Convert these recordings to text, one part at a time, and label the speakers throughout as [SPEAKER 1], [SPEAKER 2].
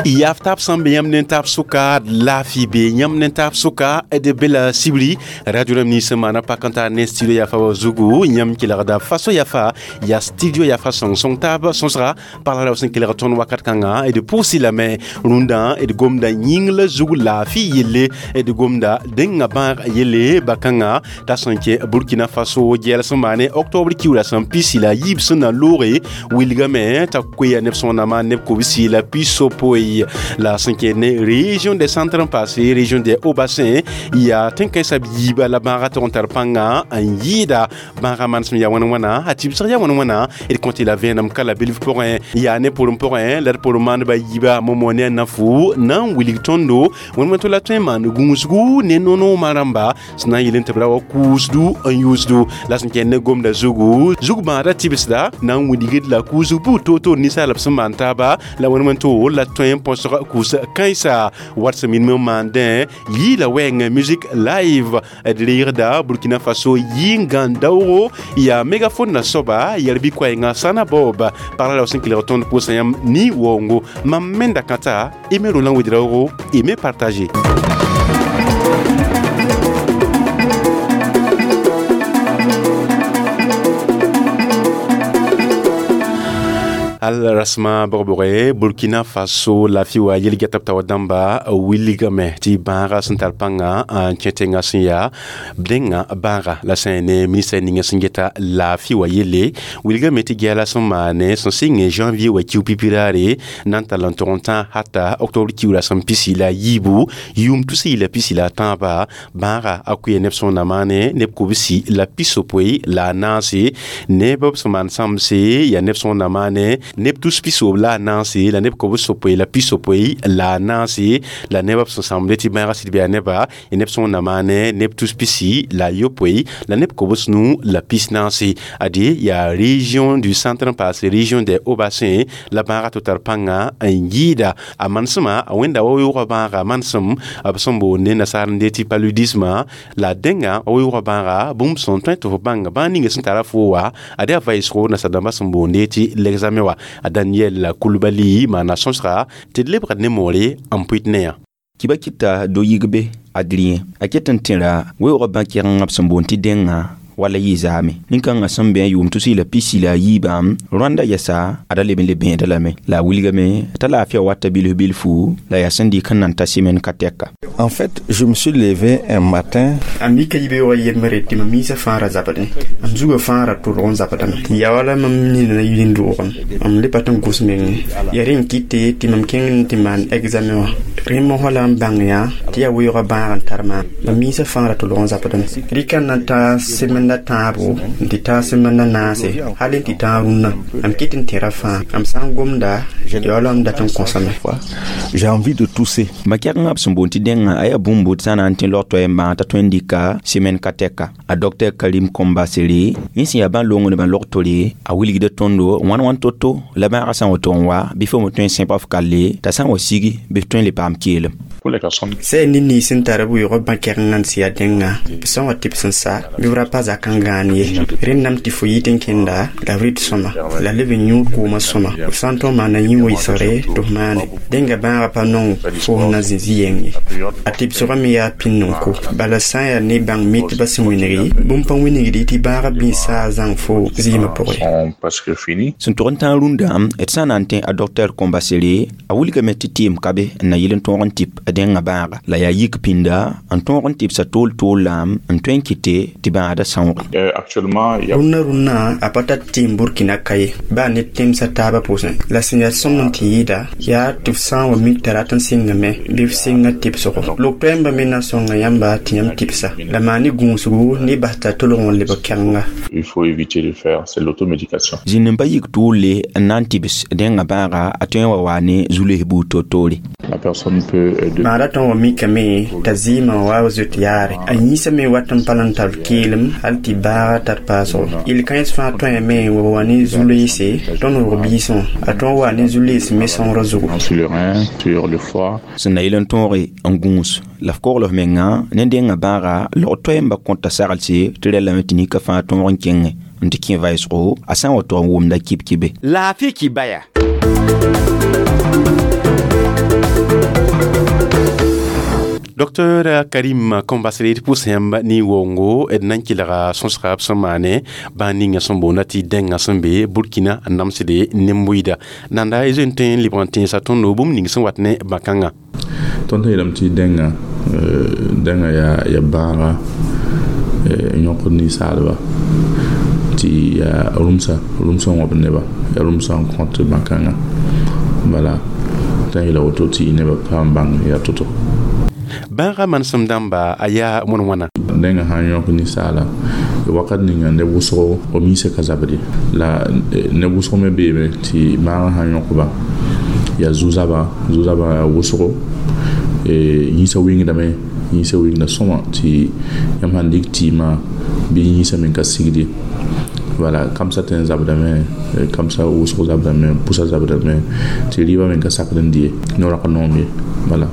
[SPEAKER 1] Yaftab sẽn be yãmb ne taab sʋka laafɩ be yãmb ne taab sʋka d be la sibri radio rãmb nins sẽn maana pak n tar ne studio yafa wa zugu yãmb kelgda faso yafa yaa studio yafa sõng-sõng taab sõsga pagl ra sẽn kelg tõnd wakat kãnga d pʋʋsɩ lame rũndã d gomda yĩng la zug laafɩ yelle d gomda dẽngã bãag yelle ba-kãngã t'a sẽn kẽ Burkina Faso gɛɛl sẽn maane octobre kiuura sẽn pisi la yiib sẽn na looge wilgame t'a koeya neb sõnamã neb kobsi la pisopoe la sẽn kẽ ne région des centres passé région des hauts bassins yaa tẽn-kãensã b yiiba la bãagã tog n tar pãnga n yɩɩda bãagã manesem yaa wãn wãna a tɩbsg yaa wãn wãna d kõt la vẽenem ka la bilf pʋgẽ yaa ne pʋrem pʋgẽ la d pʋrem maandbã yiiba momo ne a nafu na n wilg tõndo wẽnd tɩ la tõe n maan gũusgu ne nonoomã rãmba sẽn na n yel tɩ b ra wa kuusdu n yʋʋsdu la sẽn kẽnd ne gomda zugu zug-bãadã tɩbsda na n wilgd la kuusg buud toor-toor ninsaalb sẽn maan taaba la wẽnd wẽn to la tõe n põsg kuus kãensa wat sẽn minim n maandẽ yɩɩla wɛɛng musique live d reegda Burkina Faso yɩ-n-gãn daoogo yaa megaphone na soaba yɛl bɩ koɛɛngã Sana Bob pagla la sẽn kelg tõnd pʋʋsã yãmb ni waoongo mam menda kãta Aimé Roland Ouédraogo aimé partager. Al rasma bʋg-bʋge Burkina Faso laafɩ wa yel-gɛtb tao dãmba wilgame tɩ bãaga sẽn tar pãnga n kẽ tẽngã sẽn yaa dẽngã bãaga la sã ne ministra ninga sẽn geta laafɩ wa yelle wilgame tɩ gɛɛla sẽn maane sẽn sɩng janvier wa kiu pipi raare na n tall n tog n tã hata octobre kiuura sẽn pisi la yiibu yʋʋm tus la pisi la tãaba bãaga a koe neb sõna maane neb kobsi la pisopoe la a naase neb b sẽn maan sãmse yaa neb sõna maane neb tus pisoob la a naase la neb kobs sopoe la pisopoe la a naase la neb b sẽn sãmde tɩ bãaga sɩd bɩ a neba neb sõna maane neb tus pisi la yopoe la neb kobs nu la pis naase ade yaa région du centre paase région des hauts bassins la bãaga tɩ tar pãnga n yɩɩda a manesmã a wẽnda wa yoogã bãaga manesem b sẽn boonde nasaar n de tɩ paludisme la dẽnga wa yoogã bãaga bũmb sẽn tõe tɩ fo bãng bãag ninga sẽn tara fo wa ade a vaɩsgo nasaar-dãmbã sẽn boonde tɩ l'examen wa a Daniel Koulibaly maana sõsga tɩ d lebgd ne moore n pʋɩt ne yã.
[SPEAKER 2] Kiba kɩta do yigbe Adrien a ket n tẽra weoogã bã-kɛgengã b sẽn boond tɩ dẽngã wala yɩ zaame nin-kãngã sẽn bẽ yʋʋm tus la pisi la a yiibã Rwanda yɛsa a da leb n le bẽeda lame la a wilgame t'a laafɩa wata bilf bilfu la yaa sẽn dɩk n nan ta semaine ka tɛka.
[SPEAKER 3] En fait, je me suis levé un matin.
[SPEAKER 4] A mika yibeoogã yembre tɩ mam miisã fãa ra zabdẽ m zugã fãa ra tʋlg n zabdame ya wala mam nina yĩn doogem m le pa tɩ n gʋs mengẽ ya rẽ n kɩte tɩ mam kẽng tɩ maan examen wã rẽ mosã la n bãng yã tɩ yaa weoogã bãag n tar maam mam miisã fãa ra tʋlg n zabdame rɩka n na n ta semaine la tãabo n tɩ tã semaine la naase hal n tɩ tã rũnnã m kɩt n tẽra fãa m sã n gomda ya wala m dat n kõsame.
[SPEAKER 3] J'ai envie de tousser.
[SPEAKER 2] Ma-kɛgengã b sẽn boond tɩ dẽngã a yaa bũmb bʋd sã na n tẽ log toɛɛ n bãag t'a tõe n dɩka semaine ka tɛka a docteur Karim Kombasere yẽ sẽn yaa bã-longnebã log tore a wilgda tõndo wãn wãn to-to la bãagã sã n woto n wa bɩ fo me tõe n sẽp f kalle t'a sã n wa sigi bɩ f tõe n le paam keelem.
[SPEAKER 4] Sã ne nins sẽn tar b weoogã bã-kɛgengã n sɩ yaa dẽngã b sã n wa tɩbs n sa bɩ b ra pa zak n gãan ye rẽndame tɩ fo yit n kẽnda la b rɩt sõma la leb n yũ koomã sõma f sã n tõog maana yĩ wɩsgre tɩ f maane dẽnga bãagã pa nong fo na zĩ zĩ-yeng ye a tɩbsgã me yaa pĩnd n ko bala sã n yaa ne bãng mitbã sẽn wĩngi bũmb pa wĩnigdi tɩ bãagã bĩs saa zãng fo zɩɩmã pʋgẽ.
[SPEAKER 2] Sẽn tog n tãag rũndã d sã n na n tẽ a docteur Kombasere a wilgame tɩ tɩɩm ka be n na yɩl n tõog n tɩp dẽngã bãaga la yaa yik pĩnda n tõog n tɩbsa tool-tool la n tõe n kɩte tɩ bãada sãooge.
[SPEAKER 4] Rũnnã rũnnã a pa tar tɩɩm Burkina ka ye baa ne tẽmsã taabã pʋsẽ la sẽn yaa sõmb n tɩ yɩɩda yaa tɩ f sã n wa mik t'a rat n sɩngame bɩ f sɩnga tɩbsgo log-toɛɛmbã me na n sõnga yãmba tɩ yãmb tɩbsa la maa ne gũusgu ne bas t'a tolg n lebg kɛgenga.
[SPEAKER 5] Il faut éviter de faire, c'est l'automédication.
[SPEAKER 2] Zĩnd n pa yik tʋʋle n na n tɩbs dẽngã bãaga a tõe n wa waa ne zu-loes buud toor-toore.
[SPEAKER 5] La personne peut
[SPEAKER 4] Bãada tõn wa mikame t'a zɩɩmã wa zoet yaare a yĩnsã me wat n pa n tar keelem hal tɩ baaga tar paasgo yel kãens fãa tõeme wa wa ne zu-loeese tõnd rog biisẽ a tõn wa ne zu-loees me sõngrã zugu.
[SPEAKER 5] Sur le rein, sur le foie.
[SPEAKER 2] Sẽn na yɩl n tõoge n gũus la f kogl f menga ne dẽngã bãaga log toɛɛmbã kõta saglse tɩ rɛlame tɩ nika fãa tõog n kẽngẽ n tɩ kẽ vɩɩsgo a sã n wa tog n wʋmda kib-kibe.
[SPEAKER 6] Laafɩ kibaya.
[SPEAKER 1] Dr Karim Kombasre d pʋʋs yãmb ne wongo d na n kelga sõsga b sẽn maane bãan ninga sẽn boonda tɩ dẽngã sẽn be Burkina n namsde nen-bʋɩda nanda y zoe n tõe n lebg n tẽensa tõndo bũmb ning sẽn wat ne bã-kãngã.
[SPEAKER 5] Tõnd sẽn yeelame tɩ dẽngã dẽngã yaa bãaga n yõkd ninsaalba tɩ yaa rũmsa rũmsã n wãbd neba yaa rũmsã n kõt bã-kãngã bala t'a yeela woto tɩ nebã paam bãng yaa to-to.
[SPEAKER 1] Bãaga manesem dãmba a yaa wãn-wãna.
[SPEAKER 5] Dẽngã sã n yõk ninsaala wakat ninga neb wʋsgo b yĩsã ka zabd ye la neb wʋsg me beeme tɩ bãagã sã n yõkba yaa zu-zaba zu-zaba yaa wʋsgo yĩsã wɩngdame yĩsã wɩngda sõma tɩ yãmb sãn dɩk tɩɩmã bɩ yĩsã me ka sigd ye wala kamsã tõe n zabdame kamsã wʋsg zabdame pʋsã zabdame tɩ rɩɩbã me ka sakd n dɩ ye noorã ka noom ye bala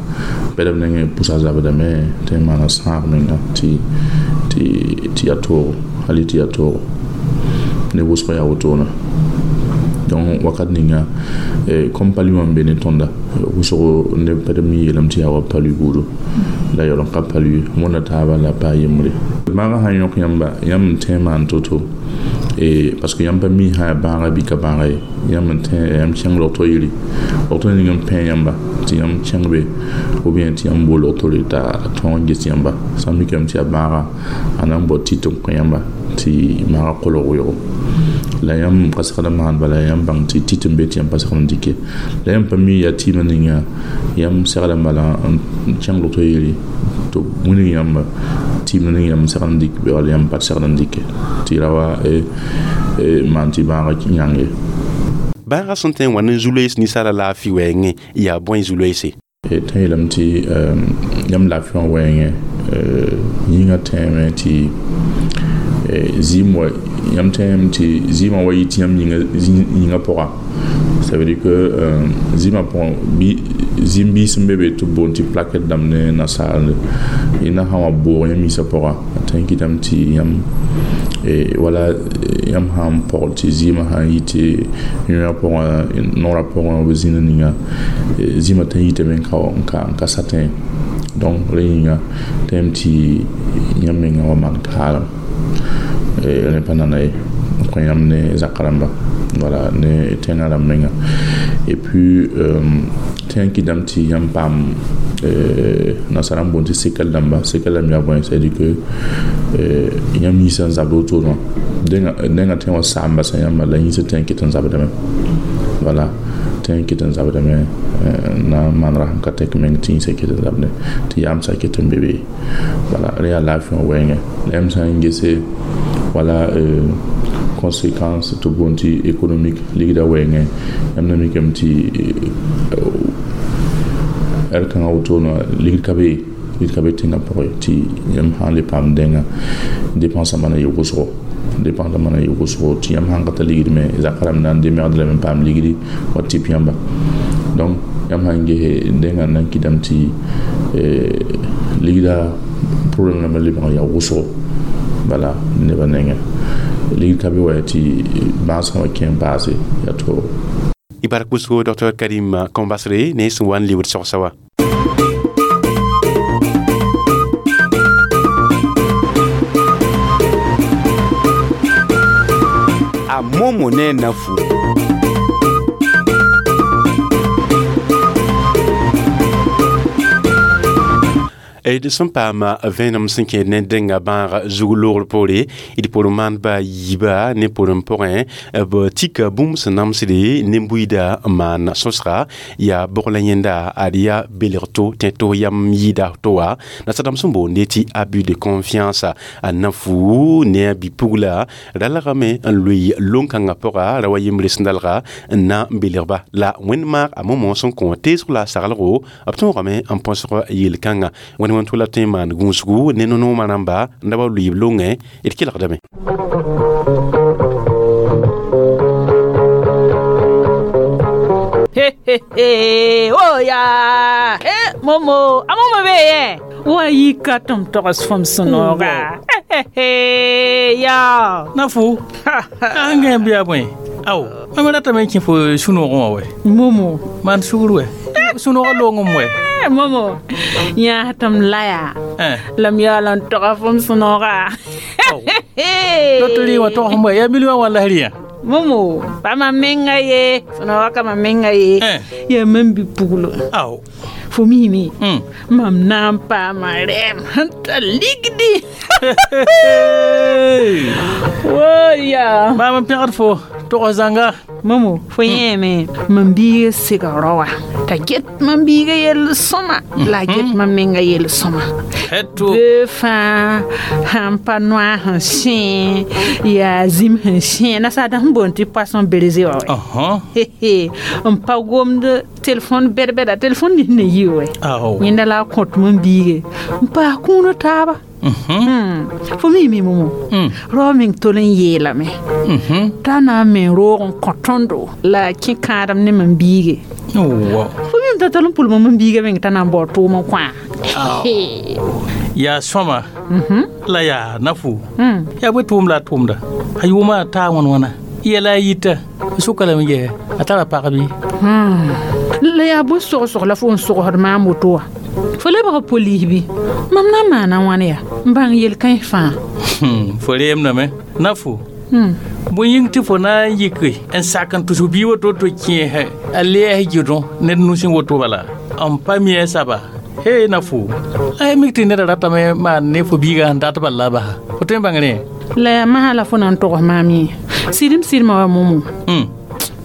[SPEAKER 5] bɛdb nengẽ pʋsã zabdame tɩ n maana sãag menga tɩ yaa toogo hali tɩ yaa toogo ne wʋsg yaa wotone donc wakat ninga comme palu wã n be ne tõnda wʋsgo neb pɛdb me yeelame tɩ yaa wa palu buudu la yaool n ka palu wõnda taaba la pa yembre bãagã sã n yõk yãmba yãmb n tẽ n maan to-to parce que yãmb pa mi sã yaa bãaga bɩ ka bãaga ye yãmb n tẽ yãmb kẽng logto yiri logto ning n pẽ yãmba tɩ yãmb kẽng be ou bien tɩ yãmb bool logtore t'a tõog n ges yãmba sã n mikame tɩ yaa bãaga a na n bao tit n kõ yãmba tɩ maaga kolg wɩɩgo la yãmb ka segd n maan bala yãmb bãng tɩ tit n be tɩ yãmb pa segd n dɩke la yãmb pa mi yaa tɩɩmã ninga yãmb segda n bala n kẽng logto yiri tɩ wilg yãmba tɩɩm ning yãmb segd n dɩk bɩ wala yãmb pa segd n dɩke tɩ ra wa maan tɩ bãaga yãng ye.
[SPEAKER 1] Bãaga sẽn tõe n wa ne zu-loees ninsaala laafɩ wɛɛngẽ yaa bõe zu-loeese?
[SPEAKER 5] Tõe yeelame tɩ yãmb laafɩ wã wɛɛngẽ yĩngã tẽeme tɩ zɩɩm wa yãmb tẽeme tɩ zɩɩmã wa yɩ tɩ yãmb yĩngã pʋga ça veut dire que zɩɩmã pʋgẽ bɩ zĩm biis n be be tɩ b boond tɩ plaquette dãmb ne nasaal yẽnda sã n wa boog yãmb yĩsã pʋga a tõe n kɩtame tɩ yãmb wala yãmb sã n pɔgl tɩ zɩɩmã sã n yɩ tɩ yõa pʋgẽ noorã pʋgẽ b zĩna ninga zĩmã tõe n yitame n ka satẽ donc rẽ yĩnga tõem tɩ yãmb mengã wa maan kaalem rẽ pa nana ye n kõ yãmb ne zakã rãmba voilà ne tẽngã rãmb menga et puis tẽ n kɩtame tɩ yãmb paam nasara n boond tɩ séquelle dãmba séquelle dãmb yaa bõe c'est à dire que yãmb yĩsã n zabd wotone wã dẽngã tõe n wa saam basa yãmba la yĩsã tõe n ket n zabdame voilà tõe n ket n zabdame na n maan rasem ka tɛk meng tɩ yĩsã ket n zabdẽ tɩ yaamsã ket n be be voilà rẽ yaa laafɩ wã wɛɛngẽ la yãmb sã n gese wala conséquence tɩ boond tɩ économique ligda wɛɛngẽ yãmb na mikame tɩ ɛr kãngã wotone wã ligd ka be ligd ka be tẽngã pʋgẽ tɩ yãmb sã n le paam dẽngã dépense mana yɩ wʋsgo dépense mana yɩ wʋsgo tɩ yãmb sãn ka tar ligd me zakã rãmb na n demegd lame n paam ligdi wa tɩp yãmba donc yãmb sãn gese dẽngã na n kɩtame tɩ ligda problème rãmbã lebg n yaa wʋsgo bala nebã nengẽ ligd ka be wa tɩ bãasgã wa kẽ n paase yaa toogo.
[SPEAKER 1] Y bark pʋsgo Dr Karim Kombasre ne sẽn wa n lebd sogsa wa.
[SPEAKER 6] A momo ne nafu.
[SPEAKER 1] D sẽn paam vẽenem sẽn kẽed ne dẽnga bãag zug loogr poore d pʋr maandba yiiba ne pʋrẽ pʋgẽ b tika bũmb sẽn namsde nen-buiida n maan sõsga yaa bog la yẽnda ad yaa belg to tẽ tos yam yɩɩda to wã nasadãmb sẽn boonde tɩ abus de confiance a nafu ne a bi-pugla ralgame n loe lon-kãngã pʋga ra wa yembre sẽn dalga n na n belgba la wẽnd maag a momo sẽn kõ teesg la a saglgo b tõogame n põsg yel-kãngã wẽnd wẽn tʋla tõe n maan gũusgu ne no-noomã rãmba n da wa lʋɩɩb longẽ d kelgdame.
[SPEAKER 7] Oya momo a momo be yɛ wa yi ka tɩm togs fõm sũ-nooga. Ya
[SPEAKER 8] Nafu an gã bɩ yaa bõe ao mam ratame n kẽ fo sũ-noogẽ wã wɛ
[SPEAKER 7] Momo
[SPEAKER 8] maan sugr wɛ sũ-noogã loongem wɛ
[SPEAKER 7] Momo yãas tɩ m la yaa la m yaool n toga fo m sũ-nooga
[SPEAKER 8] loto rɩ wã togsem wɛ yaa million wã la rɩyã
[SPEAKER 7] Momo pa mam menga ye sũ-nooga ka mam menga ye yaa mam bi-puglo
[SPEAKER 8] ao
[SPEAKER 7] fo miime mam na n paama rɛɛm sẽn ta ligdi woya
[SPEAKER 8] maam n pẽgd fo tog zãnga
[SPEAKER 7] Momo fo yẽeme mam biiga sega rao wã t'a get mam biiga yell sõma la a get mam menga yell sõma bee fãa sãn pa noa sẽn sẽ yaa zĩm sẽn sẽ nasaada sẽn boond tɩ poisson brisé wã wɛ n pa gomd telefon bɛd-bɛda telefon nins na yi wɛ yẽnda la a kõt mam biige n paas kũunã taaba fo miime momo rao meng tol n yeelame t'a na n me roog n kõ tõndo la a kẽ kãadem ne mam biige fo mim t'a tol n pʋlma mam biiga meng t'a na n bao tʋʋm n kõa
[SPEAKER 8] yaa sõma la yaa nafu yaa bõe tʋʋm la a tʋʋmda a yʋʋmã a taa wãn wãna yɛla a yita sʋka lame ges a tara pag bɩ
[SPEAKER 7] la yaa bõe sogsg la fo n sogsd maam woto wã fo lebg polis bɩ mam na n maana wãn yaa n bãng yel-kãens fãa
[SPEAKER 8] fo reemdame nafu bõe yĩng tɩ fo na n yike n sak n tʋs bii woto tɩ kẽes a lɛɛs gɩdõ ned nusẽ woto bala n pa mi a saba he nafu la ya mik tɩ neda ratame maan ne fo biigã sẽn dat bal la a basa fo tõe n bãng rẽ
[SPEAKER 7] la yaa masã la fo na n togs maam yẽ sɩdem sɩdmã wa momo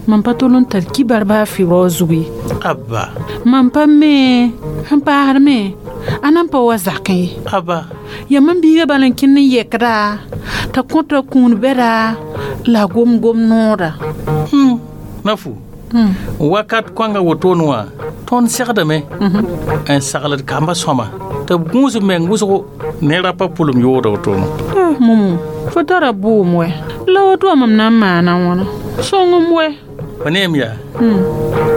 [SPEAKER 7] mam pa tol n tar kibar baa fɩ rao zug ye
[SPEAKER 8] abba
[SPEAKER 7] mam pa me sẽn paasd me a nan pa wa zakẽ ye
[SPEAKER 8] abba
[SPEAKER 7] yaa mam biiga bal n kẽnd n yɛkda t'a kõta kũun bɛda la a gom-gom nooda
[SPEAKER 8] nafu wakat kõanga wotone wã tõnd segdame n sagld kamba sõma tɩ b gũus b meng wʋsgo ne rapa pʋlem yooda wotone
[SPEAKER 7] momo fo tara bʋʋm wɛ la woto wã mam na n maana wãna sõngem wɛ
[SPEAKER 8] fo neem yaa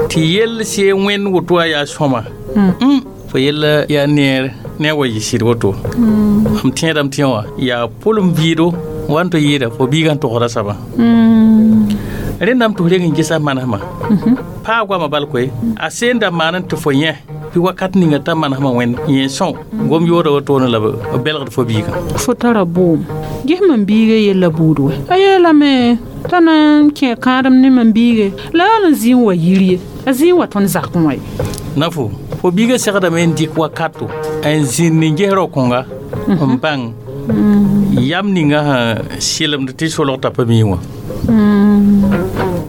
[SPEAKER 8] tɩ yell see wẽnd woto wã yaa sõma fo yella yaa neer ne a wa yɩ sɩd woto m tẽedame tẽ wã yaa pʋlem vɩɩdo wa n tɩ yɩɩda fo biigã n togsda sabã rẽndame tɩ f reng n gesa manesmã paa goamã bal koe a seen da maan n tɩ fo yẽ tɩ wakat ninga t'a manesmã wẽnd yẽ sõo gom yooda wotone la b belgd fo biigã
[SPEAKER 7] fo tara bʋʋm ges mam biiga yella buud wɛ a yeelame t'a na n kẽ kãadem ne mam biige la yaool n zĩ n wa yir ye a zĩ n wa tõnd zakẽ wã ye
[SPEAKER 8] nafu fo biigã segdame n dɩk wakato n zĩnd n ges rao-kõnga n bãng yam ninga sẽn sɩlemd tɩ solg t'a pa mii wã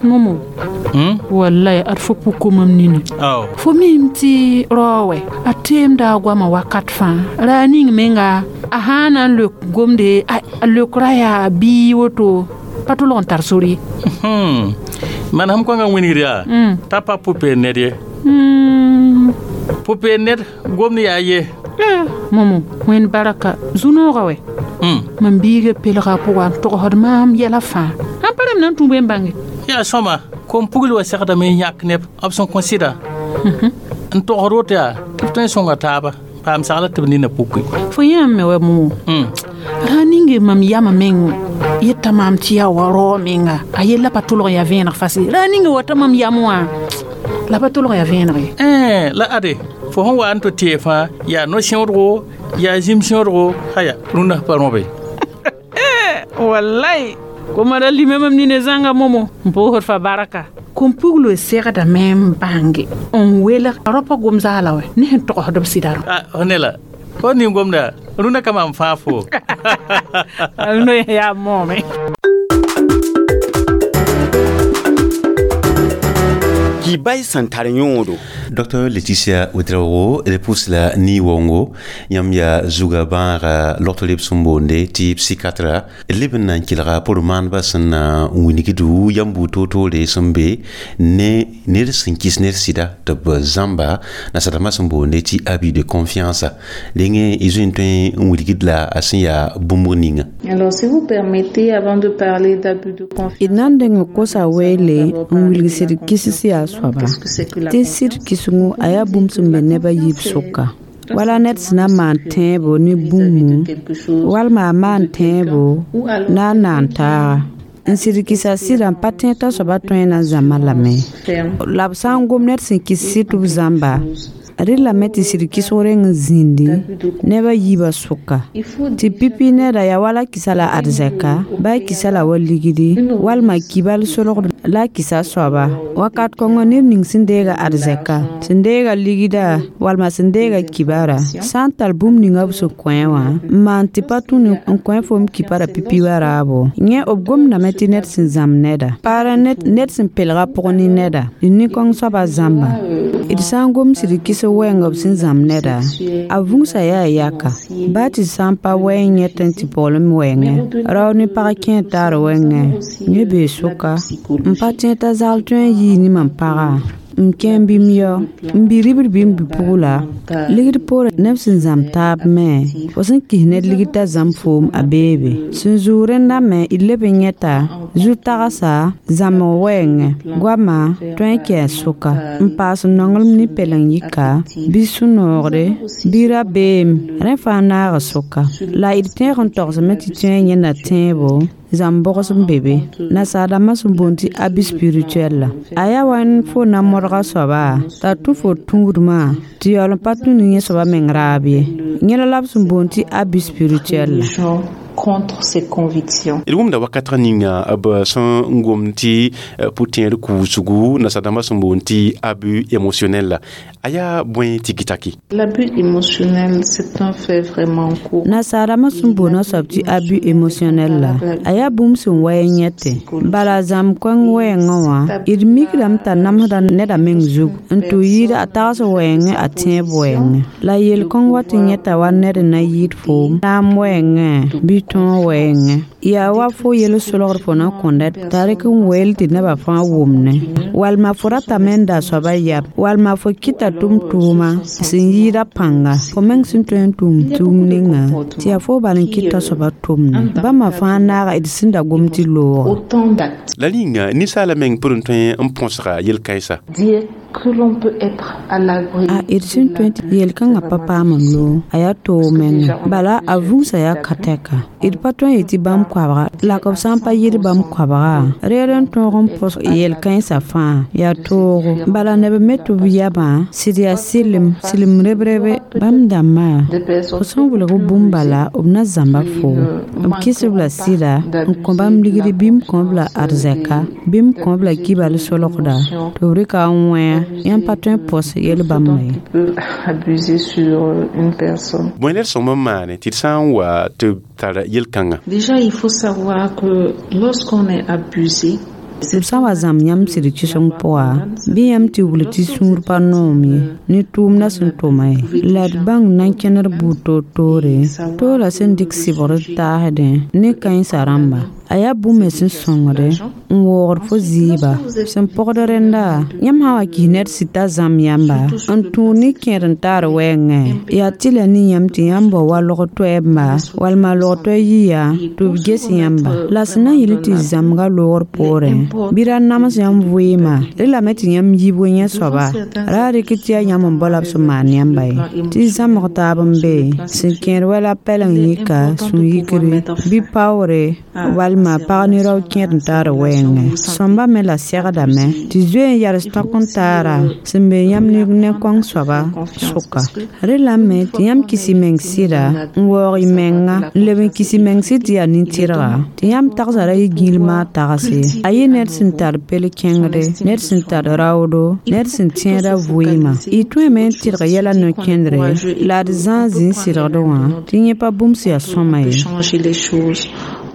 [SPEAKER 7] Momo wallahi ad fo puko mam nini fo mim tɩ rao wɛ a teemda a goamã wakat fãa ra a ning menga a sã n na n leok gomde a leokra yaa bii woto pa tolg n tar sor ye
[SPEAKER 8] manesem kõngã wingd yaa t'a pa pʋ-peer ned ye pʋ-peer ned gomd yaa ye
[SPEAKER 7] Momo wẽnd baraka zu-noogã wɛ mam biiga pelga a pʋga n togsd maam yɛla fãa sãn pa rem na n tũ bõe n bãnge
[SPEAKER 8] yaa sõma kom pugl wa segdame n yãk neb b sẽn kõ sɩda n togsd woto yaa tɩ b tõe n sõnga taaba paam sagla tɩ b nina puke
[SPEAKER 7] fo yãam me wa momo ra ninge mam yama meng yeta maam tɩ yaa wa rao menga a yella pa tʋlg n yaa vẽeneg fase ra ninge wata mam yam wã la pa tʋlg yaa vẽeneg ye
[SPEAKER 8] la ade fo sẽn wa n tɩ tee fãa yaa no-sẽodgo yaa zĩm sẽodgo haya rũndã pa rõbe
[SPEAKER 7] wallai koma ra lime mam nine zãnga momo n pʋʋsd fa baraka kom puglo segdame n bãnge n welg rao pa gom zaala wɛ ne sẽn togsd b sɩda rõ
[SPEAKER 8] fo ne la fo ning gomda rũndã ka mam fãa fo
[SPEAKER 7] no yaa moome
[SPEAKER 6] Kibay sẽn tar yõodo
[SPEAKER 1] Dr Laetitia Ouedraogo d pʋs la ni-waoongo yãmb yaa zuga bãaga logt leb sẽn boonde tɩ psychiatre d leb n na n kelga pʋr maandbã sẽn na n wilgdu yam buud toor-toore sẽn be ne ned sẽn kɩs ned sɩda tɩ b zãmba nasadãmbã sẽn boonde tɩ abus de confiance rẽngẽ y zoe n tõe n wilgd la a sẽn yaa bũmb ninga
[SPEAKER 9] Alors, si vous permettez, avant de parler d'abus de confiance,
[SPEAKER 10] d na n dẽng kosa weele n wilg sɩd kɩs yaa soaba tɩ sɩd kɩsengo a yaa bũmb sẽn be neb a yiib sʋka Wala ned sẽn na n maan tẽebo ne bũmbu walma a maan tẽebo na a naan taaga n sɩd kɩsa sɩda n pa tẽed t'a soaba tõe n na n zãmbã lame la b sã n gom ned sẽn kɩs sɩd tɩ b zãmba rẽ lame tɩ sɩd kɩsg reng n zĩndi neb a yiibã sʋka tɩ pipi neda yaa wala kɩsa la arzɛka bɩ a kɩsa la wa ligdi walma kibal solgd la a kɩsa soaba wakat kõngo ned ning sẽn deega arzɛka sẽn deega ligda walma sẽn deega kibara sã n tar bũmb ninga b sẽn kõ wã n maan tɩ pa tũ n kõ fo m kipara pipi wa raabo yẽ b gomdame tɩ ned sẽn zãmb neda paara ned sẽn pelga pʋg ne neda d nin-kõng soaba zãmba d sã n gom sɩd kɩs wɛɛng b sẽn zãmb neda a vũusã yaa yaka baa tɩ sã n pa wɛ n yẽt n tɩ pɔglem wɛɛngẽ rao ne pag kẽer taar wɛɛngẽ yẽ bee sʋka n pa tẽed t'a zagl tõe n yii ne mam pagã n kẽ n bɩm yao n bɩ ribd bɩ n bɩ-pugla ligd poorẽ neb sẽn zãmb taab me fo sẽn kis ned ligd t'a zãmb foom a beebe sẽn zʋʋg rẽnda me d leb n yẽta zu-tagsa zãmbg wɛɛngẽ goama tõe n kɛɛs sʋka n paas nonglem ne pɛleng yika bɩ sũ-noogre bɩ rabeem rẽ fãa naag sʋka la d tẽeg n togsame tɩ tõe n yẽnda tẽebo zãmb bʋgs n be be nasaadãmbã sẽn boond tɩ abus spirituel la a yaa wa fo na modga soaba t'a tũ fo tũudmã tɩ yaool n pa tũ ne yẽ soaba meng raab ye yẽla la b sẽn boond tɩ abus spirituel la
[SPEAKER 9] contre ses convictions.
[SPEAKER 1] D wʋmda wakatg ninga b sẽn n gomd tɩ pʋ-tẽed kuusgu nasadãmbã sẽn boond tɩ abus émotionnel la a yaa bõe tɩ gɩtaki.
[SPEAKER 9] L'abus émotionnel, c'est un fait vraiment courant.
[SPEAKER 10] Nasaadãmbã sẽn boond soab tɩ abus émotionnel la a yaa bũmb sẽn wa n yẽte bala zãmb kõng wɛɛngã wã d mikdame t'a namsda neda meng zug n tɩ yɩɩd a tags wɛɛngẽ a tẽeb wɛɛngẽ la yel-kõng wa tɩ yẽta wa ned n na yɩɩd foom naam wɛɛngẽ bɩ tõog wɛɛngẽ yaa wa fo yel-solgd fo na kõnda t'a rɩk n weel tɩ nebã fãa wʋmne walma fo ratame n da soaba yab walma fo kɩta tʋm-tʋʋma sẽn yɩɩda pãnga fo meng sẽn tõe n tʋm tʋʋm ninga tɩ yaa fo bal n kɩta soaba tʋmne bãmba fãa naaga d sẽn da gom tɩ looga
[SPEAKER 1] la rĩnga ninsaala meng pʋr n tõe n põsga yel-kãensa
[SPEAKER 9] que l'on peut être à l'abri.
[SPEAKER 10] A d sẽn tõe tɩ yel-kãngã pa paam n loog a yaa toog menga bala a vũusã yaa ka-tɛka d pa tõe n yetɩ bãmb koabga la b sã n pa yɩd bãmb koabga reer n tõog n pʋs yel-kãensã fãa yaa toogo bala neb me tɩ b yabã sɩd yaa sɩlem sɩlem rebrebe bãmb dãmbã f sẽn wilg bũmb bala b na zãmba foo b kɩs-b la sɩda n kõ bãmb ligd bɩ m kõ-b la arzɛka bɩ m kõ-b la kibal solgda tɩ b rɩka n wẽ yãmb pa tõe n pʋs yel-bãmba ye.
[SPEAKER 1] Bõe la d sõm n maane tɩ d sã n wa tɩ b tar yel-kãngã.
[SPEAKER 9] Déjà, il faut savoir que lorsqu'on est abusé,
[SPEAKER 10] b sã n wa zãmb yãmb sɩd kɩseng pʋga bɩ yãmb tɩ wul tɩ sũur pa noom ye ne tʋʋmdã sẽn tʋma ye la d bãng na n kẽned buud toor-toore toorã sẽn dɩk sɩbgr taasdẽ ne kãensã rãmba a yaa bũmb sẽn sõngde n waoogd fo zɩɩba sẽn pɔgd rẽnda yãmb sã n wa kis ned sɩd t'a zãmb yãmba n tũud ne kẽer n taar wɛɛngẽ yaa tɩ la ne yãmb tɩ yãmb bao wa log toɛɛmba walma log toɛ yiya tɩ b ges yãmba la sẽn na n yɩl tɩ zãmbga loogr poorẽ bɩ ra nams yãmb vɩɩmã rẽ lame tɩ yãmb yiib yẽ soaba ra rɩk tɩ yaa yãmb n bao la b sẽn maan yãmba ye tɩ zãmbg taab n be sẽn kẽer wɛla pɛleng yika sũ-yikre bɩ paoore walma pag ne rao kẽer n taar wɛɛngẽ sõmba me la segdame tɩ zoe n yals tõk n taara sẽn be yãmb ne kõng soaba sʋka rẽ lame tɩ yãmb kis y meng sɩda n waoog y menga n leb n kis y meng sɩd tɩ yaa nin-tɩrga tɩ yãmb tagsã ra yɩ gĩlmã tagse a yɩ ned sẽn tar pel-kẽngre ned sẽn tar raoodo ned sẽn tẽeda vɩɩmã y tõeme n tɩrg yɛla no-kẽndre la d zãa zĩ n sɩdgd wã tɩ yẽ pa bũmb sẽn yaa sõma ye.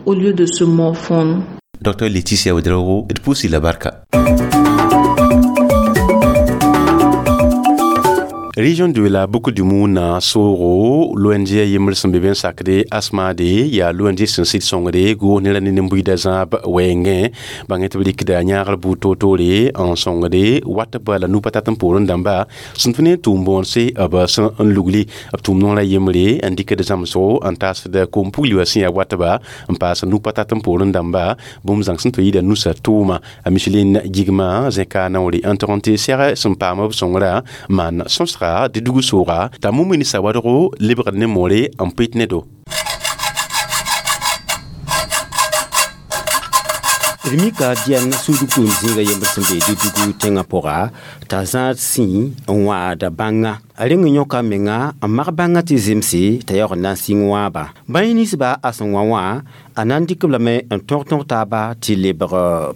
[SPEAKER 9] Au lieu de se morfondre.
[SPEAKER 1] Dr Laetitia Ouedraogo d pʋʋsi la barka. Région de la Boucle du Mount soogo l'ONG yembr sẽn be be n sakde asmade yaa l'ONG sẽn sɩd sõngre goos ne ra ne nin-buiidã zãab wɛɛngẽ bãngẽ tɩ b rɩkda yãagr buud toor-toore n sõngde wat b la nu-pa tat n poorẽ dãmba sẽn tũ ne tʋʋm bõonse b sẽn n lugli b tʋʋm nongrã yembre n dɩkd zãmsgo n taasd koom-pugli wã sẽn yaa watba n paas nu-pa tat n poorẽ dãmba bũmb zãng sẽn tɩ yɩɩda nusa tʋʋma a Micheline Gigma zẽka naoore n tog n tɩ sɛg sẽn paam b sõngrã maan sõsga sɩdga Dedugu sooga t'a Mumini Sawadogo lebgd ne moore n pɩt ne do.
[SPEAKER 6] D mika Diɛn suudg tʋʋm zĩiga yembr sẽn be Dedugu tẽngã pʋga t'a zãad sĩ n wãada bãnga. A reng n yõka menga n mag bãngã tɩ zemse t'a yaoog n na n sɩng wãaba. Bãy ninsba a sẽn wã wã a na n dɩk b lame n tõg tõg taaba tɩ lebg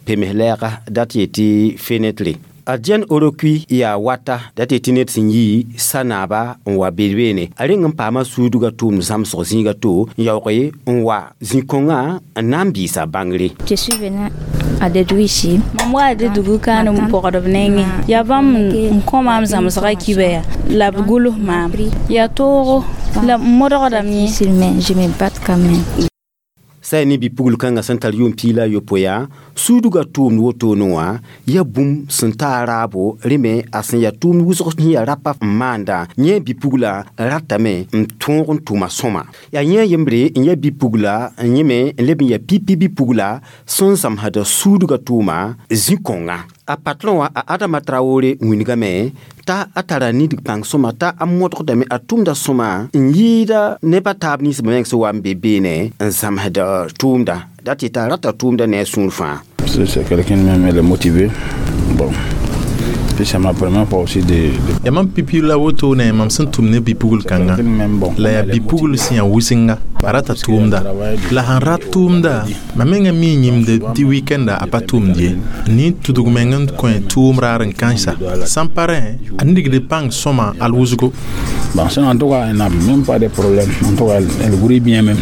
[SPEAKER 6] pems lɛɛga dat yetɩ fenɛtre. A Diɛn Orokui yaa wata dat yetɩ ned sẽn yi sa-naaba n wa beene. A reng n paama suudgã tʋʋmd zãmsg zĩiga to n yaooge n wa zĩ-kõngã n na n bɩɩsa bãngre.
[SPEAKER 11] Je suis venue à Dédougou ici.
[SPEAKER 9] Mam wa Dédougou kaan n pɔgdb nengẽ. Yaa bãmb n kõ maam zãmsgã kiba yaa la b gʋls maam. Yaa toogo la m modgdame yẽ.
[SPEAKER 11] Mais je me batte quand même.
[SPEAKER 6] Sã ne bi-pugl kãngã sẽn tar yʋʋm piig la a yopoe yaa suudgã tʋʋmd wotone wã yaa bũmb sẽn ta a raabo rẽ me a sẽn yaa tʋʋmd wʋsg sẽn yaa rapa n maanda yẽ bi-pugla ratame n tõog n tʋma sõma. Yaa yẽ yembre n yaa bi-pugla n yẽme n leb n yaa pipi bi-pugla sẽn zãmsda suudgã tʋʋma zĩ-kõngã. A patron wã a Adama Traore wĩnigame t'a a tara nidg pãng sõma t'a a modgdame a tʋmda sõma n yɩɩda nebã taab ninsbã meng sẽn wa n be beene n zãmsd tʋʋmda dat yetɩ a rata tʋʋmda ne a sũur fãa.
[SPEAKER 12] C'est quelqu'un même, elle est motivée. Bon. Puis c'est ma première fois aussi de
[SPEAKER 13] Ya mam pipi la woto ne mam sẽn tʋm ne bi-pugl kãnga la yaa bi-pugl sẽn yaa wʋsenga a rata tʋʋmda la sãn rat tʋʋmda mam menga mi yĩmde tɩ wikenda a pa tʋʋmd ye nin tudg meng n kõ tʋʋm raar n kãensa sãn pa rẽ a nigd pãng sõma al wʋsgo.
[SPEAKER 12] Bon, ça, en tout cas, elle n'a même pas de problème. En tout cas, elle brille bien même.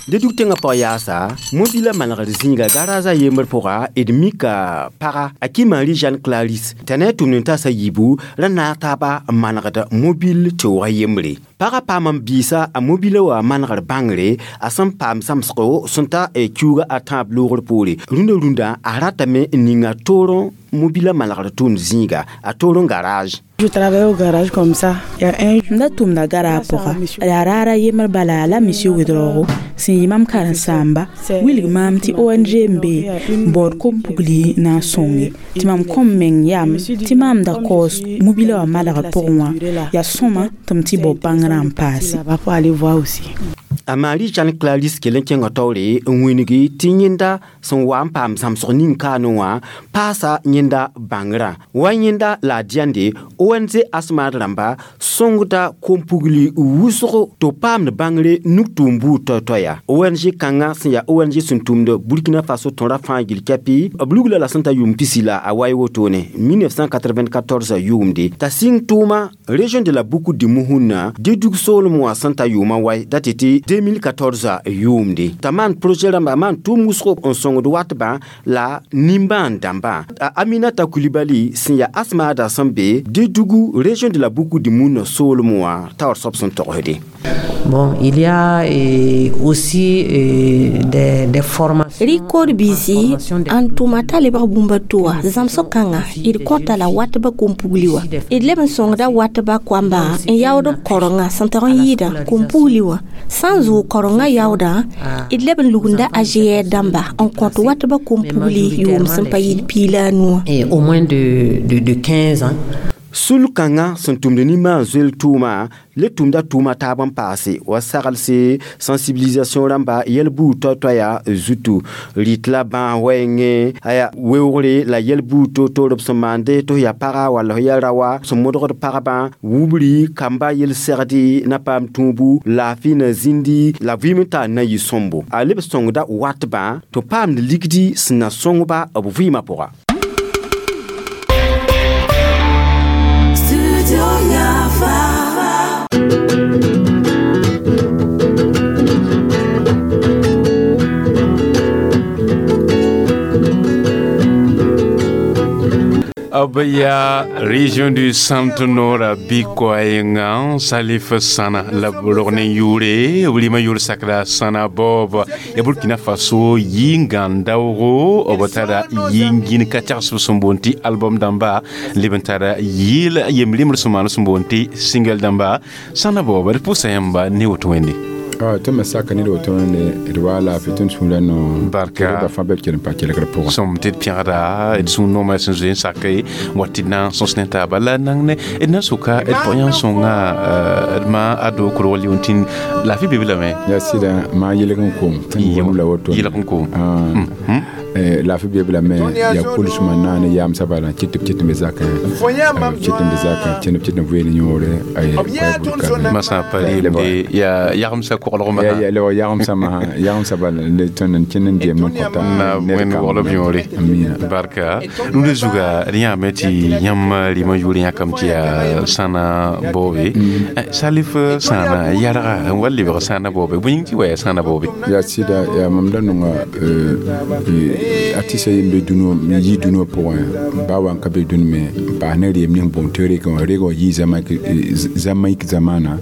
[SPEAKER 6] Dedug tẽngã pag yaasa mobila manegd zĩiga garaza yembr pʋga d mika paga a Kimari Jeanne Clarisse t'a ne a tʋmd n taasa yiibu ra naag taaba n manegd mobil teoogã yembre. Pagã paam n biisa a mobila wã manegr bãngre a sẽn paam zãmsgo sẽn ta kiuuga a tãab loogr poore. Rũndã rũndã a ratame n ninga toorẽ mobila manegr tʋʋmd zĩiga a toorẽ garage.
[SPEAKER 14] Je travaille au garage comme ça. Il y a un
[SPEAKER 15] M da tʋmda gara pʋga yaa raara yembr bala la monsieur Ouedraogo sẽn yɩ mam karen-saamba wilg maam tɩ ONG n be n baood kom-pugli na n sõnge tɩ mam kõm meng yam tɩ maam da kaoos mobila wã malgr pʋgẽ wã yaa sõma tɩ m tɩ bao bãngrã n paase.
[SPEAKER 14] Là-bas pour aller voir aussi.
[SPEAKER 6] A Marie Jeanne Clarisse kell n kẽnga taoore n wĩngi tɩ yẽnda sẽn wa n paam zãmsg ning kaane wã paasa yẽnda bãngrã wa yẽnda la a Diɛnde ONG Asmad rãmba sõngda kom-pugli wʋsgo tɩ b paamd bãngre nug-tʋʋm buud toay-toaya. ONG kãngã sẽn yaa ONG sẽn tʋmd Burkina Faso tõra fãa gill kɛpɩ b lugla la sẽn ta yʋʋm pisi la a wa wotone 1994 yʋʋmde t'a sɩng tʋʋma région de la Boukou de Mouhoun Dedug soolem wã sẽn ta yʋʋmã wae dat tɩ 2014 yʋʋmde t'a maan projet rãmba a maan tʋʋm wʋsgo n sõngd watbã la nimbãan dãmbã. A Aminata Coulibaly sẽn yaa Asmada sẽn be Dedugu région de la Boukou de Mouhoun soolem wã taoor soab sẽn togsde.
[SPEAKER 16] Bon, il y a aussi des formations.
[SPEAKER 17] Rikod biisi n tʋma t'a lebg bũmb to wã zãmsg kãnga d kõta la watbã kom-pugli wã d leb n sõngda watbã koambã n yaood b korengã sẽn tag n yɩɩdã kom-pugli wã sã n zʋʋg korengã yaoodã d leb n lugunda AGR dãmba n kõt watbã kom-pugli yʋʋm sẽn pa yɩɩd piig la a nu wã.
[SPEAKER 16] Et au moins de 15 ans.
[SPEAKER 6] Sul kãngã sẽn tʋmd nimbãan zoel tʋʋma le tʋmda tʋʋma taab n paase wa saglse sensibilisation rãmba yɛl-buud toay-toaya zutu rɩt la bãas wɛɛngẽ aya weoogre la yɛl-buud to-toor b sẽn maande tɩ f yaa paga walla f yaa raowa sẽn modgd pagbã wubri kamba yel-segdi na paam tũubu laafɩ na zĩndi la vɩɩm n taa na yɩ sõmbo a leb sõngda watbã tɩ paamd ligdi sẽn na sõngba b vɩɩmã pʋga.
[SPEAKER 1] B yaa région du centre nord bɩ-koɛɛngã Salif Sana la b rog ne yʋʋre b rɩmã yʋʋr sakda Sana Bob ya Burkina Faso yɩ-gãn daoogo b tara yɩ-gĩn ka tagsb sẽn boond tɩ album dãmba leb n tara yɩɩl yem-rẽmbr sẽn maan sẽn boond tɩ single dãmba Sana Bob d pʋsa yãmba ne woto wẽnde.
[SPEAKER 12] Tõnd me saka ned woto ne d wa laafɩ tõnd sũurã no
[SPEAKER 1] Barka.
[SPEAKER 12] Ba fãa bɩ b kell n pa kelgr pʋgẽ.
[SPEAKER 1] Sõm tɩ d pẽgda d sũ-noomã sẽn zoe n sake wa tɩ d na n sõs ne taaba la nan ne d na soka d pʋg sõnga d ma ado korg liun tɩ laafɩ be be lame.
[SPEAKER 12] Yaa sɩda maa yelg n kom tõnd gom la woto.
[SPEAKER 1] Yelg n kom.
[SPEAKER 12] Laafɩ be b lame, yaa kʋlsmã naane yaamsã bala kɩt tɩ b kɩt n be zakẽ, kɩt n be zakẽ, kẽnd b kɩt n vɩɩl yõore.
[SPEAKER 1] Masã pa reemde yaa yagemsã koglg masã.
[SPEAKER 12] La yagemsã masã, yagemsã bala le tõnd n kẽnd n deemd n kõta.
[SPEAKER 1] Na wẽnd waglb yõore, barka. Rũndã zuga d yãame tɩ yãmb rɩmã yʋʋr yãkame tɩ yaa sãna baoobe. Salif sãana yarga n wa lebg sãana baoobe, bõe yĩng tɩ wa yaa sãana baoobe?
[SPEAKER 12] Yaa sɩda, yaa mam da nonga artista yem be dũniyã, yi dũniyã pʋgẽ, baa wa n ka be dũni me n paas ne reem ning bõmb tɩ reg wã, reg wã yii Zamaïque zamaana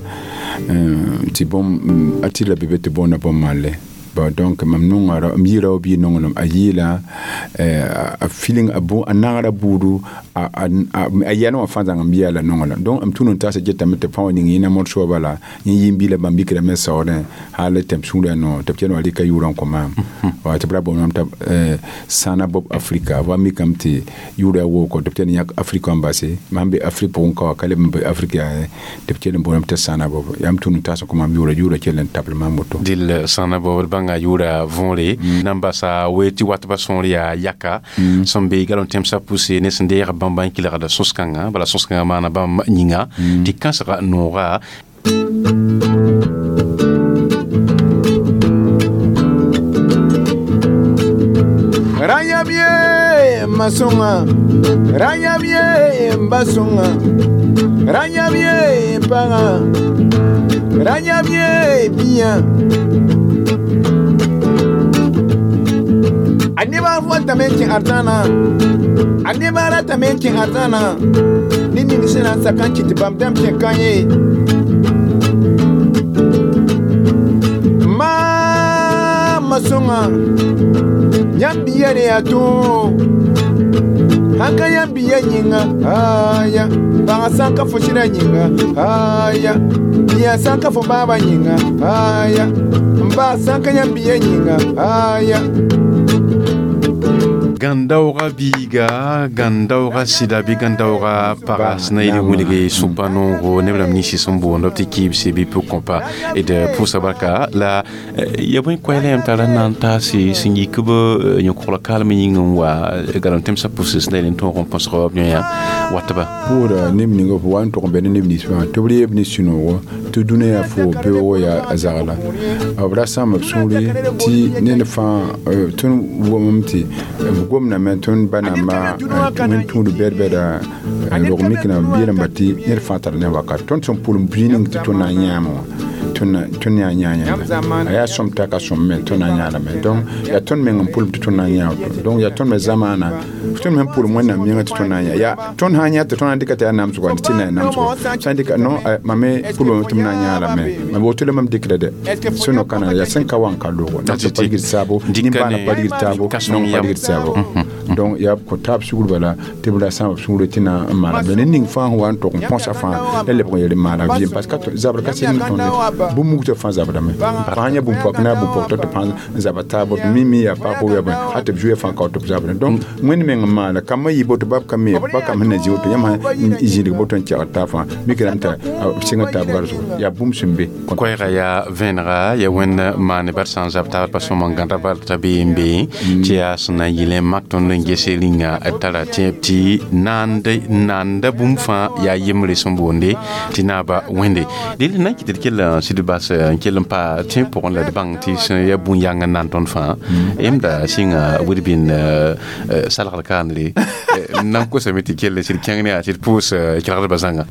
[SPEAKER 12] tɩ bõmb artiste la be be tɩ boonda bõmb malle. Bon, donc mam nonga m yɩɩra wa bii nonglem a yɩɩla a feeling a a nagra buudu a yɛl wã fãa zãng n biya la nonglem. Donc m tũud n taasa getame tɩ pã wa ning yẽna morso wã bala yẽ yɩ n biila bãmb mikdame saoodẽ hal tɩ m sũurã no tɩ b kell n wa rɩka yʋʋrã n kõ maam wa tɩ b ra boonam t'a sãna bob Afrika wa mikame tɩ yʋʋra wooko tɩ b kell n yãk Afrika n base mam be Afrik pʋgẽ ka wa ka leb n be Afrik yaa tɩ b kell n boonam t'a sãna bob. Yaa m tũud n taas n kõ maam yʋʋra, yʋʋra kell n tabl maam woto.
[SPEAKER 1] Dɩl sãna bob d bãnga yʋʋra võore nan basa we tɩ watba sõor yaa yaka sẽn be galon tẽmsã pʋse ne sẽn deeg bãmba n kelgda sõs-kãngã bala sõs-kãngã maana bãmb yĩnga tɩ kãsga nooga.
[SPEAKER 18] Rãyam ye ma sõnga, rãyam ye n ba sõnga, rãyam ye pagã, rãyam ye biyã. A nebã fotame n kẽ arzãna, a nebã ratame n kẽ arzãna, ne ning sẽn na n sak n kɩt tɩ bãmb dãmb kẽ ka ye. Maama sõnga, yãmb biya ne yaa tõog, sãn ka yãmb biya yĩnga, aya, pagã sãn ka fo sɩdã yĩnga, aya, biya sãn ka fo baabã yĩnga, aya, n baa sãn ka yãmb biya yĩnga, aya.
[SPEAKER 1] Gãn-daooga biiga, gãn-daooga sɩda bɩ gãn-daooga paga sẽn na yɩl n wilge sũ-pa noogo neb rãmb ninsi sẽn boond b tɩ kɩɩbse bɩ pʋg kõpa d pʋʋsa barka la ya bõe koɛɛla yãmb tara n na n taase sẽn yik b yõ-kogl kaalem yĩng n wa galem tẽmsã pʋse sẽn na yel n tõog n põsg b yõ watba.
[SPEAKER 12] Pʋʋda neb ning f wa n tʋg n be ne neb nins fãa tɩ b reeb ne sũ-noogo tɩ dũniyã yaa fo beoogo yaa a zagla b ra sãam b sũuri tɩ ned fãa tõnd wʋmame tɩ b gomdame tõnd ba namba wẽn tũud bɛd-bɛda rog mikna b yeelame tɩ ned fãa tar ne wakat tõnd sẽn pʋlem bui ning tɩ tõnd na n yãame wã tõnd yaa yã yẽnda a yaa sõm t'a ka sõm me tõnd na n yãadame. Donc yaa tõnd meng n pʋlem tɩ tõnd na n yã woto. Donc yaa tõnd me zamaana tõnd me pʋlem wẽnnaam yĩnga tɩ tõnd na n yã yaa tõnd sã n yã tɩ tõnd na n dɩka tɩ yaa namsgɔ tɩ na yaa namsgɔ sã n dɩka no mam me pʋlem tɩ m na n yãadame mam woto la mam dɩkda dɛ sẽn no kãna yaa sẽn ka wa n ka logo na tɩ pa rigd saabo nin-baana pa rigd taabo nong pa rigd saabo. Donc yaa kõ taab sugr bala tɩ b ra sãam b sũurã tɩ na n maana ne ning fãa sẽn wa n tog n põsa fãa la lebg n yel n maana vɩɩm parce que zabr ka sɩd n tõnd bũmb mugtã fãa zabdame fãa yã bũmb-poak na bũmb-poak tɩ fãa n zaba taab b mimi yaa pag yaa bõe hal tɩ b zoe fãa ka tɩ b zabda. Donc wẽnd meng n maana kambã yɩ boto bab ka me ba kam sẽn na zĩ woto yãmb sã n zĩdg boto n kɛgd taab fãa mikdame t'a b sɩng taab garsgo yaa bũmb sẽn be.
[SPEAKER 1] Koɛɛga yaa vẽenega yaa wẽnd maane bar sã n zab taab pa sõm n gãda bal t'a bee n bee tɩ yaa sẽn na n yɩl n mak tõnd n ges rĩnga d tara tẽeb tɩ naanda bũmb fãa yaa yembre sẽn boonde tɩ naaba wẽnde deel na n kɩt d kell n sɩd bas n kell n pa tẽeb pʋgẽ la d bãng tɩ sẽn yaa bũn-yãng n nan tõnd fãa yẽmda sɩnga wid-bĩn salgd kaanre n na n kosame tɩ kell sɩd kẽng ne yaa tɩ d pʋʋs kelgdbã zãnga.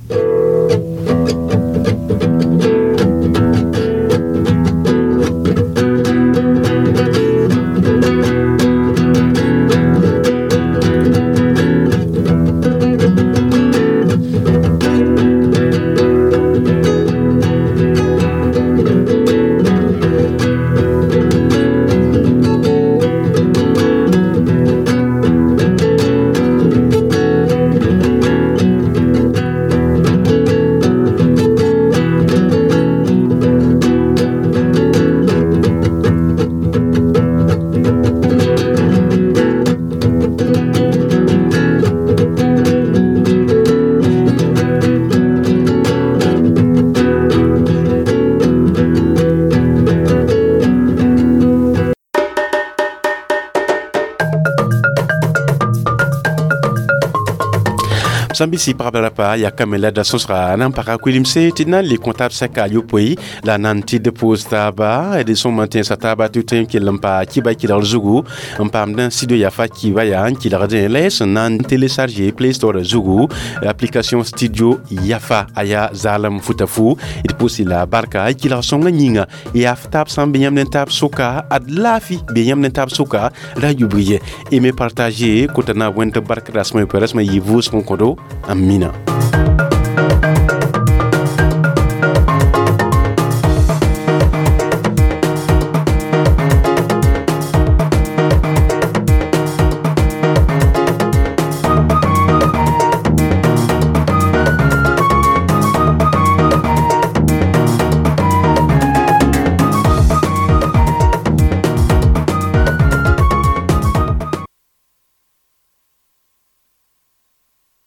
[SPEAKER 1] Sãn-bisi pagba rapa yaa kame la da sõsga na n paka kuilimse tɩ d na n le kõ taab sɛka a yopoe la na n tɩ d pʋʋs taaba d sõma tẽnsa taaba tɩ tõe n kell n pa kiba kɩlgr zugu n paamd studio yafa kiba yaa n kɩlgdẽ la y sẽn na n télécharger Play Store zugu application Studio Yafa a yaa zaalem futa fu. D pʋʋsi la barka y kɩlg sõngã yĩnga yaa f taab sã n be yãmb ne taab sʋka ad laafi be yãmb ne taab sʋka ra yubg ye. Aimer, partager kota na wẽnd bark rasmã yopoe rasmã yɩ vʋʋsg n kõdo. Amina.